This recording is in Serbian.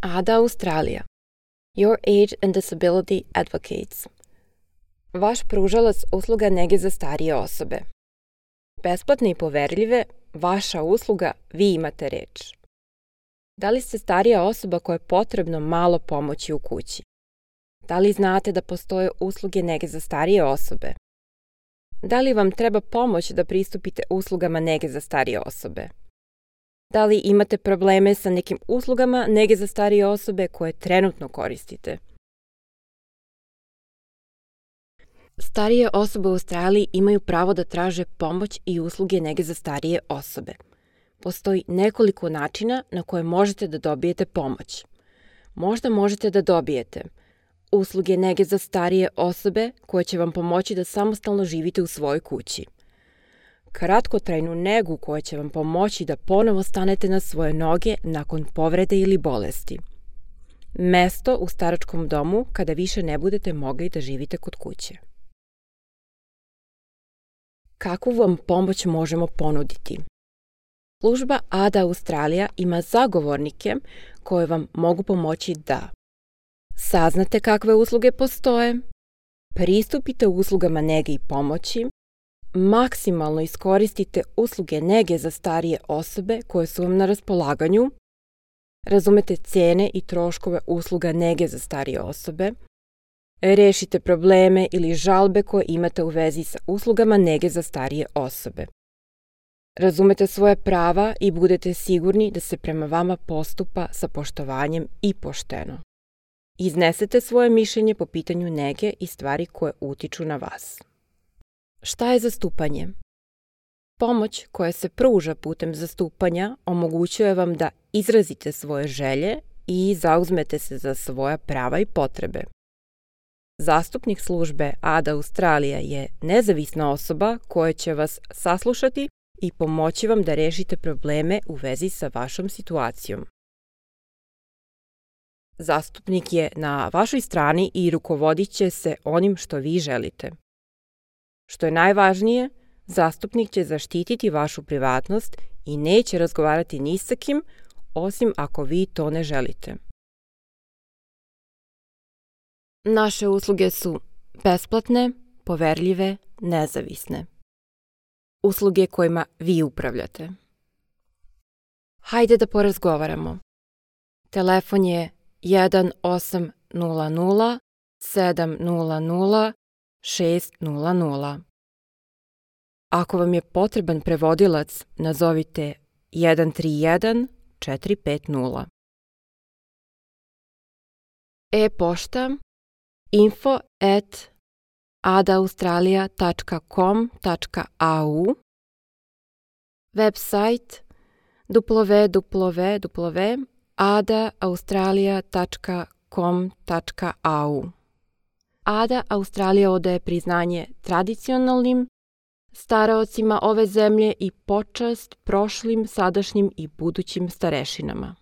ADA Australija, Your Age and Disability Advocates. Vaš pružalac usluga nege za starije osobe. Besplatne i poverljive, vaša usluga, vi imate reč. Da li ste starija osoba koja je potrebno malo pomoći u kući? Da li znate da postoje usluge nege za starije osobe? Da li vam treba pomoć da pristupite uslugama nege za starije osobe? Da li imate probleme sa nekim uslugama nege za starije osobe koje trenutno koristite? Starije osobe u Australiji imaju pravo da traže pomoć i usluge nege za starije osobe. Postoji nekoliko načina na koje možete da dobijete pomoć. Možda možete da dobijete usluge nege za starije osobe koje će vam pomoći da samostalno živite u svojoj kući. Kratkotrajnu negu koja će vam pomoći da ponovo stanete na svoje noge nakon povrede ili bolesti. Mesto u staračkom domu kada više ne budete mogli da živite kod kuće. Kakvu vam pomoć možemo ponuditi? Služba ADA Australija ima zagovornike koje vam mogu pomoći da saznate kakve usluge postoje, pristupite uslugama nege i pomoći, maksimalno iskoristite usluge nege za starije osobe koje su vam na raspolaganju, razumete cene i troškove usluga nege za starije osobe, rešite probleme ili žalbe koje imate u vezi sa uslugama nege za starije osobe. Razumete svoje prava i budete sigurni da se prema vama postupa sa poštovanjem i pošteno. Iznesete svoje mišljenje po pitanju nege i stvari koje utiču na vas. Šta je zastupanje? Pomoć koja se pruža putem zastupanja omogućuje vam da izrazite svoje želje i zauzmete se za svoja prava i potrebe. Zastupnik službe ADA Australija je nezavisna osoba koja će vas saslušati i pomoći vam da rešite probleme u vezi sa vašom situacijom. Zastupnik je na vašoj strani i rukovodit će se onim što vi želite. Što je najvažnije, zastupnik će zaštititi vašu privatnost i neće razgovarati ni sa kim, osim ako vi to ne želite. Naše usluge su besplatne, poverljive, nezavisne. Usluge kojima vi upravljate. Hajde da porazgovaramo. Telefon je 1800 700 600. Ako vam je potreban prevodilac, nazovite 131 450. E-pošta info@adaaustralia.com.au, website www.adaaustralia.com.au. ADA Australija odaje priznanje tradicionalnim staraocima ove zemlje i počast prošlim, sadašnjim i budućim starešinama.